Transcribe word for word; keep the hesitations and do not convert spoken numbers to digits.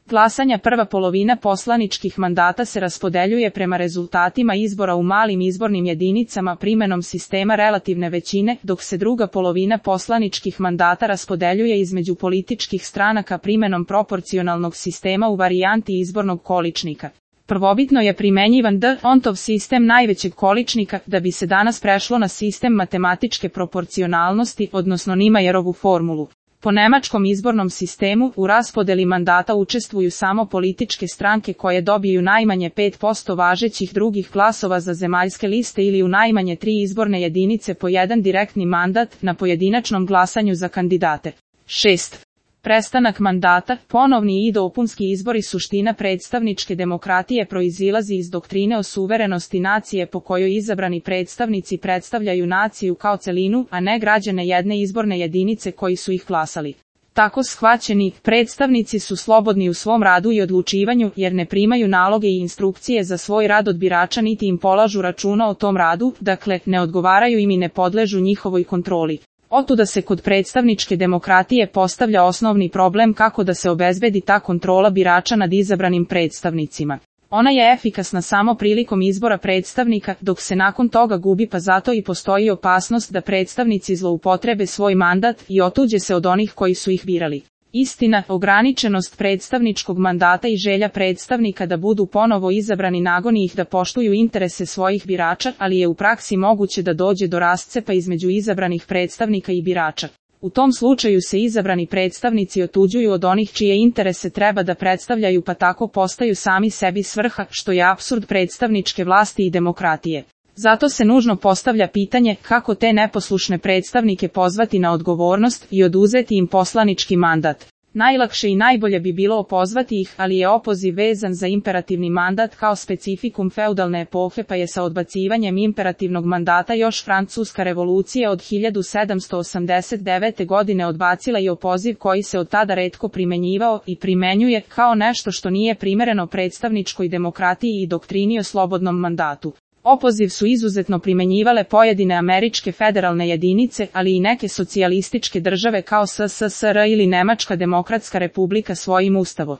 glasanja prva polovina poslaničkih mandata se raspodeljuje prema rezultatima izbora u malim izbornim jedinicama primenom sistema relativne većine, dok se druga polovina poslaničkih mandata raspodeljuje između političkih stranaka primenom proporcionalnog sistema u varijanti izbornog količnika. Prvobitno je primenjivan D'Hondtov sistem najvećeg količnika, da bi se danas prešlo na sistem matematičke proporcionalnosti, odnosno Nimajerovu formulu. Po nemačkom izbornom sistemu, u raspodeli mandata učestvuju samo političke stranke koje dobiju najmanje pet posto važećih drugih glasova za zemaljske liste ili u najmanje tri izborne jedinice po jedan direktni mandat na pojedinačnom glasanju za kandidate. šest. Prestanak mandata, ponovni i dopunski izbori. Suština predstavničke demokratije proizilazi iz doktrine o suverenosti nacije po kojoj izabrani predstavnici predstavljaju naciju kao celinu, a ne građane jedne izborne jedinice koji su ih glasali. Tako shvaćeni, predstavnici su slobodni u svom radu i odlučivanju jer ne primaju naloge i instrukcije za svoj rad od birača niti im polažu računa o tom radu, dakle, ne odgovaraju im i ne podležu njihovoj kontroli. Otuda se kod predstavničke demokratije postavlja osnovni problem kako da se obezbedi ta kontrola birača nad izabranim predstavnicima. Ona je efikasna samo prilikom izbora predstavnika, dok se nakon toga gubi, pa zato i postoji opasnost da predstavnici zloupotrebe svoj mandat i otuđe se od onih koji su ih birali. Istina, ograničenost predstavničkog mandata i želja predstavnika da budu ponovo izabrani nagoni ih da poštuju interese svojih birača, ali je u praksi moguće da dođe do rascepa između izabranih predstavnika i birača. U tom slučaju se izabrani predstavnici otuđuju od onih čije interese treba da predstavljaju, pa tako postaju sami sebi svrha, što je apsurd predstavničke vlasti i demokratije. Zato se nužno postavlja pitanje kako te neposlušne predstavnike pozvati na odgovornost i oduzeti im poslanički mandat. Najlakše i najbolje bi bilo opozvati ih, ali je opoziv vezan za imperativni mandat kao specifikum feudalne epohe, pa je sa odbacivanjem imperativnog mandata još Francuska revolucija od hiljadu sedamsto osamdeset devete. godine odbacila i opoziv koji se od tada retko primenjivao i primenjuje kao nešto što nije primereno predstavničkoj demokratiji i doktrini o slobodnom mandatu. Opoziv su izuzetno primenjivale pojedine američke federalne jedinice, ali i neke socijalističke države kao S S S R ili Nemačka demokratska republika svojim ustavom.